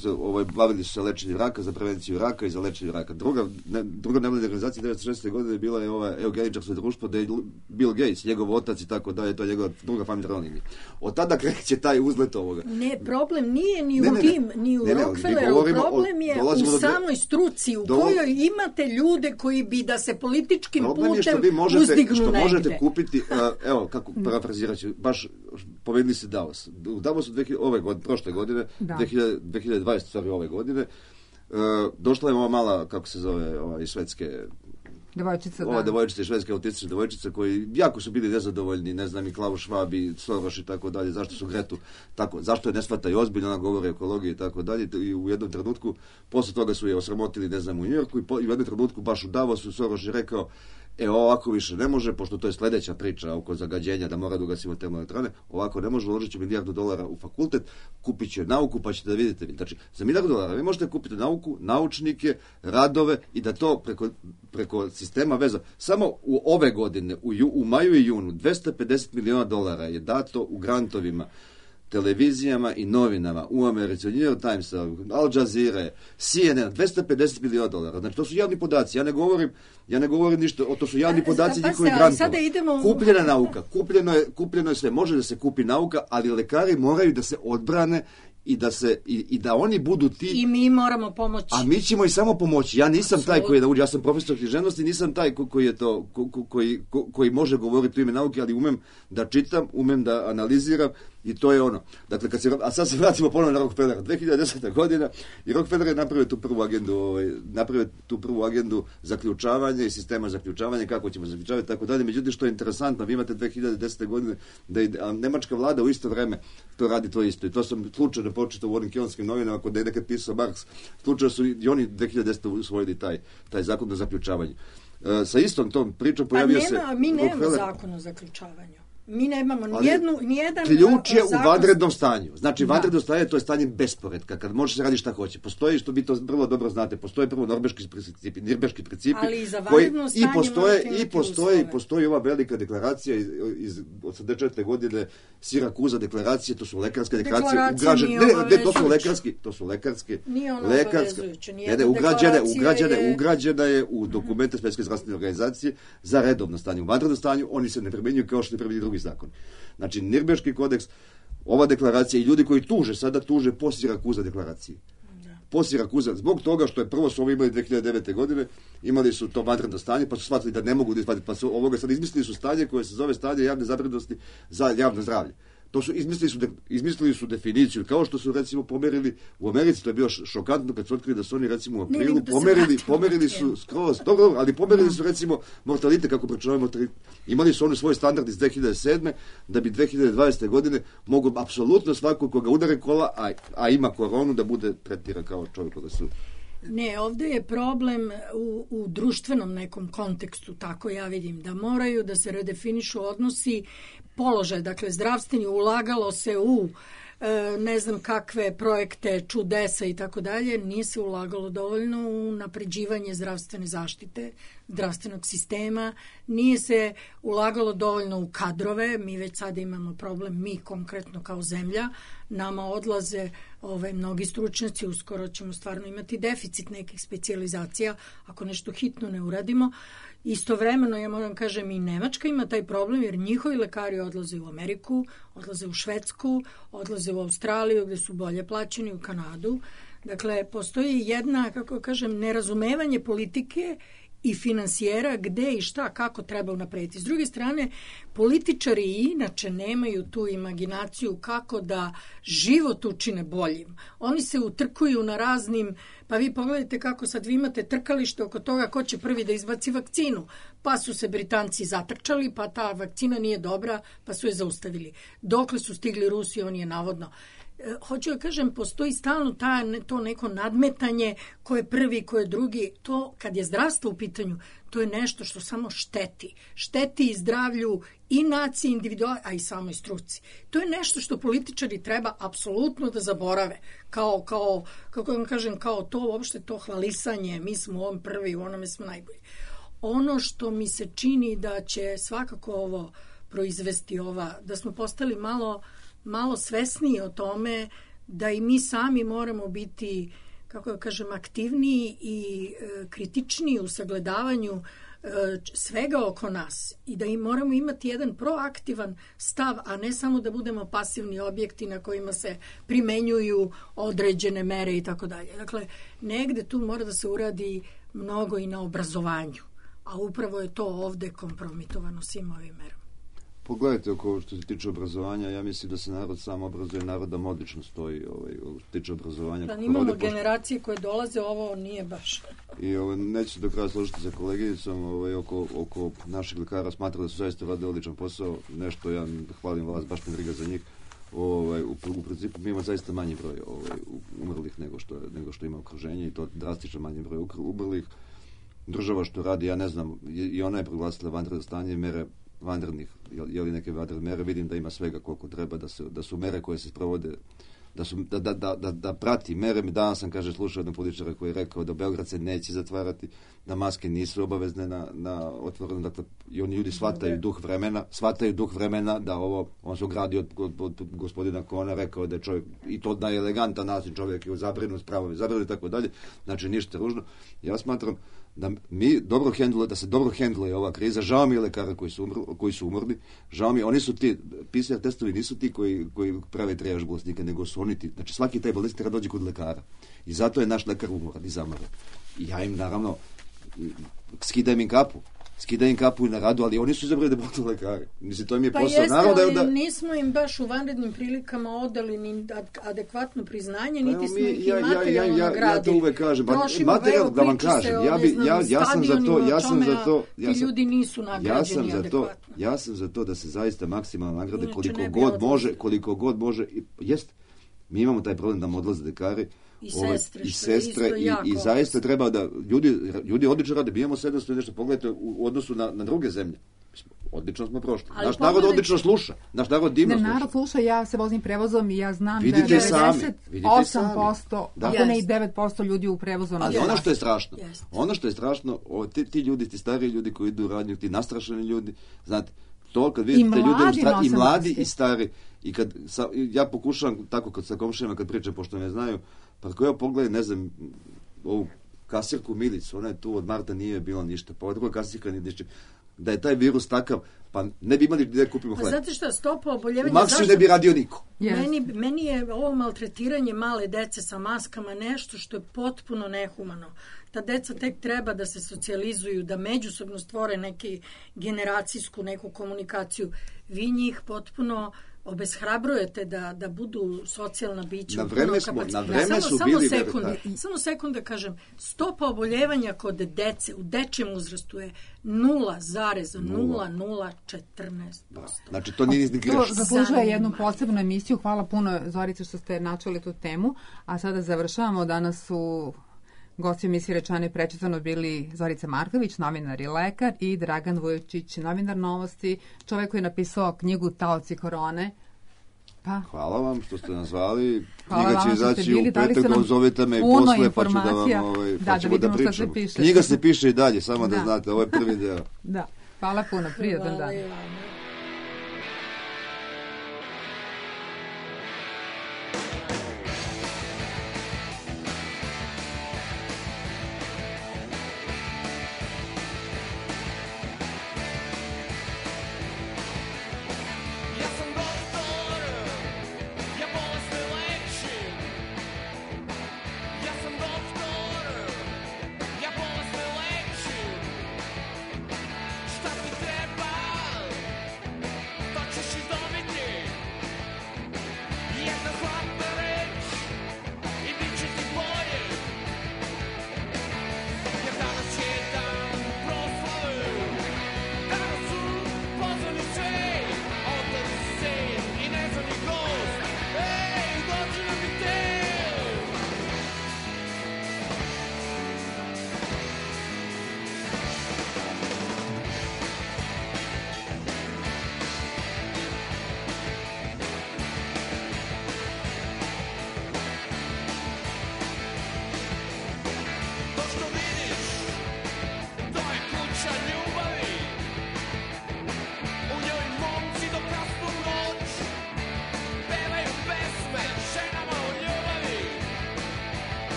Speaker 4: bavili su se lečenjem raka, za prevenciju raka i za lečenje raka. Druga nevladina organizacija 1960. godine bila je ova eugeničarsko društvo, da je Bill Gates, njegov otac i tako dalje, to je njegova druga familijarna linija. Od tada kreće taj uzlet ovoga.
Speaker 5: Ne, problem nije ni u tim, ni u Rockefelleru, problem je u samoj struci u kojoj imate ljude koji bi da se političkim putem uzdignu
Speaker 4: što
Speaker 5: negde.
Speaker 4: Možete kupiti, evo, kako parafrazirat ću, baš povedili se Davos. U Davosu prošle godine, 2020, stvari ove godine, došla je ova mala, kako se zove, iz Švedske
Speaker 3: devojčica,
Speaker 4: devojčica, švedska autistična devojčica, koji jako su bili nezadovoljni, ne znam, i Klaus Schwab i Soros i tako dalje, zašto su Gretu tako, zašto je ne shvataju ozbiljno, ona govori o ekologiji i tako dalje, i u jednom trenutku, posle toga su je osramotili, ne znam, u Njujorku, i u jednom trenutku baš u Davosu Soros je rekao, ovako više ne može, pošto to je sledeća priča oko zagađenja, da mora da ugasimo termoelektrane, ovako ne može, uložit će $1 milijardu u fakultet, kupit će nauku, pa ćete da vidite. Znači, za $1 milijardu vi možete kupiti nauku, naučnike, radove i da to preko sistema veza. Samo u ove godine, u maju i junu, $250 miliona je dato u grantovima televizijama i novinama u Americi, New York Times, Al Jazeera, CNN, $250 miliona. Znači, to su javni podaci. Ja ne govorim ništa, to su javni podaci njihovi grantova. Kupljena nauka, kupljeno je sve. Može da se kupi nauka, ali lekari moraju da se odbrane i da oni budu ti...
Speaker 5: I mi moramo pomoći.
Speaker 4: A mi ćemo i samo pomoći. Ja nisam taj koji je da uđe, ja sam profesor književnosti, nisam taj koji može govoriti u ime nauke, ali umem da čitam, umem da analiziram i to je ono. Dakle, a sad se vratimo ponovno na Rockefellera. 2010. godina i Rockefeller je napravio tu prvu agendu zaključavanja i sistema zaključavanja, kako ćemo zaključavati, tako dalje. Međutim, što je interesantno, vi imate 2010. godine da je nemačka vlada u isto vreme to radi to isto. I to sam slučajno počitao u onim kionskim novinama, kod da je nekad pisao Marks, slučajno su i oni 2010. usvojili taj zakon o zaključavanju. Sa istom tom pričom pojavio se...
Speaker 5: Mi nemamo zakon o zaključavanju. Mi nemamo nijedan
Speaker 4: ključ je u vanrednom stanju. Znači, vanredno stanje, to je stanje besporedka, kad možeš se raditi šta hoće. Postoji, što vi to vrlo dobro znate, postoje prvo Nirnberški principi,
Speaker 5: ali i za vanredno stanje
Speaker 4: postoji ova velika deklaracija iz 84. godine, Sirakuza deklaracije, to su lekarske deklaracije, to su lekarske, ugrađena je u dokumente Svjetske zdravstvene organizacije za redovno stanje. U vanrednom stanju oni se ne primjenjuju kao što ne primjenjuju drugi zakon. Znači, Nirnberški kodeks, ova deklaracija i ljudi koji sada tuže po Sirakuza deklaraciji. Po Sirakuza, zbog toga što je prvo su ovo imali 2009. godine, imali su to vanredno stanje, pa su shvatili da ne mogu da izvaditi, pa su ovoga sad izmislili su stanje koje se zove stanje javne zabrinutosti za javno zdravlje. To su izmislili su definiciju, kao što su recimo pomerili u Americi, to je bilo šokantno kad su otkrili da su oni recimo u aprilu pomerili su skroz, ali pomerili su recimo mortalitet, kako pričavaju mortalitet. Imali su oni svoj standard iz 2007. da bi 2020. godine mogu apsolutno svako koga udare kola, a ima koronu, da bude tretiran kao čovjek koga su...
Speaker 5: Ne, ovdje je problem u društvenom nekom kontekstu, tako ja vidim, da moraju da se redefinišu odnosi, položaj, dakle zdravstveni, ulagalo se u ne znam kakve projekte, čudesa i tako dalje, nije se ulagalo dovoljno u napređivanje zdravstvene zaštite, zdravstvenog sistema, nije se ulagalo dovoljno u kadrove, mi već sada imamo problem, mi konkretno kao zemlja, nama odlaze mnogi stručnjaci, uskoro ćemo stvarno imati deficit nekih specijalizacija ako nešto hitno ne uradimo. Istovremeno, ja moram kažem, i Nemačka ima taj problem jer njihovi lekari odlaze u Ameriku, odlaze u Švedsku, odlaze u Australiju gdje su bolje plaćeni, u Kanadu. Dakle, postoji jedna, kako kažem, nerazumevanje politike i finansijera gde i šta, kako treba unaprediti. S druge strane, političari inače nemaju tu imaginaciju kako da život učine boljim. Oni se utrkuju na raznim, pa vi pogledajte kako sad vi imate trkalište oko toga ko će prvi da izbaci vakcinu. Pa su se Britanci zatrčali, pa ta vakcina nije dobra, pa su je zaustavili. Dokle su stigli Rusi, on je navodno... Hoću da kažem, postoji stalno to neko nadmetanje ko je prvi, ko je drugi. To, kad je zdravstvo u pitanju, to je nešto što samo šteti. Šteti i zdravlju i naciji, individualno, a i samoj struci. To je nešto što političari treba apsolutno da zaborave. Kako vam kažem, kao to uopšte to hvalisanje, mi smo u ovom prvi, u onome smo najbolji. Ono što mi se čini da će svakako ovo proizvesti da smo postali malo svesniji o tome da i mi sami moramo biti, kako da kažem, aktivniji i kritičniji u sagledavanju svega oko nas i da im moramo imati jedan proaktivan stav, a ne samo da budemo pasivni objekti na kojima se primenjuju određene mere i tako dalje. Dakle, negde tu mora da se uradi mnogo i na obrazovanju, a upravo je to ovde kompromitovano svim ovim merama.
Speaker 4: Pogledajte, oko što se tiče obrazovanja, ja mislim da se narod sam obrazuje, narod nam odlično stoji što se tiče obrazovanja.
Speaker 5: Da, imamo generacije koje dolaze, ovo nije baš.
Speaker 4: I neću se do kraja složiti sa koleginicom oko naših lekara, smatram da su zaista rade odličan posao, nešto ja hvalim vas, baš me briga za njih. U principu mi imamo zaista manji broj umrlih nego što ima okruženje i to drastično manji broj umrlih. Država što radi, ja ne znam, i ona je proglasila vanredno stanje, mere vanrednih, je li neke vanredne mere, vidim da ima svega koliko treba, da su mere koje se sprovode, da prati mere. Danas sam, slušao jednog političara koji je rekao da Beograd se neće zatvarati, da maske nisu obavezne na otvoreno, dakle, i oni ljudi shvataju duh vremena, da on se ogradio od gospodina Kona, rekao da je čovjek, i to na elegantan način, čovjek je u zabrinut, spravo je zabrinut i tako dalje, znači ništa ružno. Ja smatram da se dobro hendluje ova kriza. Žao mi je lekara koji su umrli, žao mi je, oni su ti, PCR testovi nisu ti koji prave trijaž bolesnika, nego su oni ti, znači svaki taj bolesnik treba dođe kod lekara i zato je naš lekar umoran i zamoran. I ja im naravno skidam im kapu i na radu, ali oni su izabrali da budu lekari. Mislim, to im je posao.
Speaker 5: Ali nismo im baš u vanrednim prilikama odali ni adekvatno priznanje, niti smo ih i materijalno nagradili.
Speaker 4: Ja to uvek kažem. Materijal, da vam kažem, ja sam za to.
Speaker 5: Ti ljudi nisu nagrađeni adekvatno.
Speaker 4: Ja sam za to da se zaista maksimalno nagrade koliko god može. Jest, mi imamo taj problem da nam odlaze lekari, i sestre i zaista treba da ljudi odlično rade. Mi imamo 700 nešto, pogledajte u odnosu na druge zemlje. Odlično smo prošli. Naš narod odlično sluša. Naš narod divno sluša.
Speaker 3: Narod sluša, ja se vozim prevozom i ja znam da je 98%, ako ne i 9% ljudi u prevozu.
Speaker 4: Ali ono što je strašno, ti ljudi, ti stariji ljudi koji idu u radnju, ti nastrašeni ljudi, znate, to kad vidite ljudi i mladi i stari, i kad ja pokušavam tako kad sa komšijama kad pričam, pošto me znaju, pa ako ja pogledam, ne znam, ovu kasirku Milicu, ona je tu od marta, nije bilo ništa, pa druga kasirka nije ništa, da je taj virus takav, pa ne bi imali gdje kupimo hleb.
Speaker 5: Znate šta, stopa oboljevanja...
Speaker 4: U Maksiju ne bi radio niko.
Speaker 5: Meni je ovo maltretiranje male dece sa maskama nešto što je potpuno nehumano. Ta deca tek treba da se socijalizuju, da međusobno stvore neki generacijsku neku komunikaciju. Vi njih potpuno obeshrabrujete da budu socijalna bića.
Speaker 4: Na vreme su bili...
Speaker 5: Samo sekund kažem, stopa oboljevanja kod dece u dečijem uzrastu je 0,0014%.
Speaker 4: Znači to nije grešno.
Speaker 3: To zaslužuje jednu posebnu emisiju. Hvala puno, Zorice, što ste načeli tu temu. A sada završavamo. Danas su gosti emisije Rečeno i prečitano bili Zorica Marković, novinar i lekar, i Dragan Vujočić, novinar Novosti, čovjek koji je napisao knjigu Taoci korone.
Speaker 4: Hvala vam što ste nas zvali. Knjiga će izaći u petak, zovite me i posle, pa ćemo da pričamo. Knjiga se piše i dalje, samo da znate, ovo je prvi deo.
Speaker 3: Da, hvala puno, prijatan dan.